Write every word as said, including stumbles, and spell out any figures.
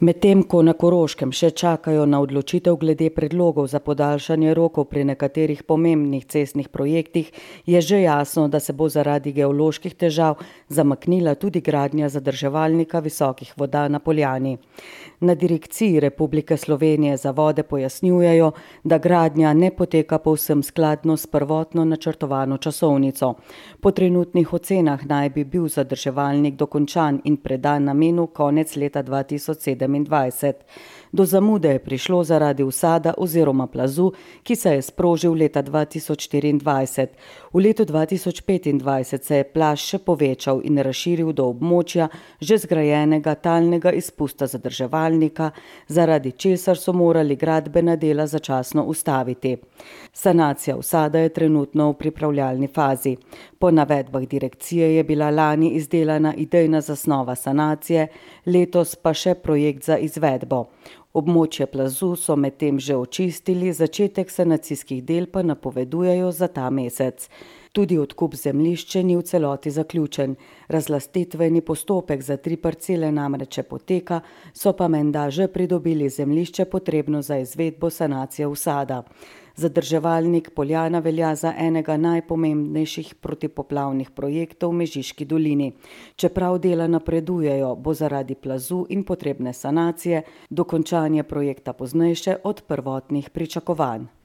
Medtem ko na Koroškem še čakajo na odločitev glede predlogov za podaljšanje rokov pri nekaterih pomembnih cestnih projektih, je že jasno, da se bo zaradi geoloških težav zamaknila tudi gradnja zadrževalnika visokih voda na Poljani. Na Direkciji Republike Slovenije za vode pojasnjujejo, da gradnja ne poteka povsem skladno s prvotno načrtovano časovnico. Po trenutnih ocenah naj bi bil zadrževalnik dokončan in predan namenu konec leta dva tisoč sedemindvajset. Do zamude je prišlo zaradi usada oziroma plazu, ki se je sprožil leta dva tisoč štiriindvajset. V letu dva tisoč petindvajset se je plaz še povečal in razširil do območja že zgrajenega talnega izpusta zadrževalnika, zaradi česar so morali gradbena dela začasno ustaviti. Sanacija usada je trenutno v pripravljalni fazi. Po navedbah direkcije je bila lani izdelana idejna zasnova sanacije, letos pa še projekt za izvedbo. Območje plazu so medtem že očistili, začetek sanacijskih del pa napovedujejo za ta mesec. Tudi odkup zemljišča ni v celoti zaključen. Razlastitveni postopek za tri parcele namreč poteka, so pa menda že pridobili zemljišče potrebno za izvedbo sanacije usada. Zadrževalnik Poljana velja za enega najpomembnejših protipoplavnih projektov v Mežiški dolini. Čeprav dela napredujejo, bo zaradi plazu in potrebne sanacije dokončanje projekta poznejše od prvotnih pričakovanj.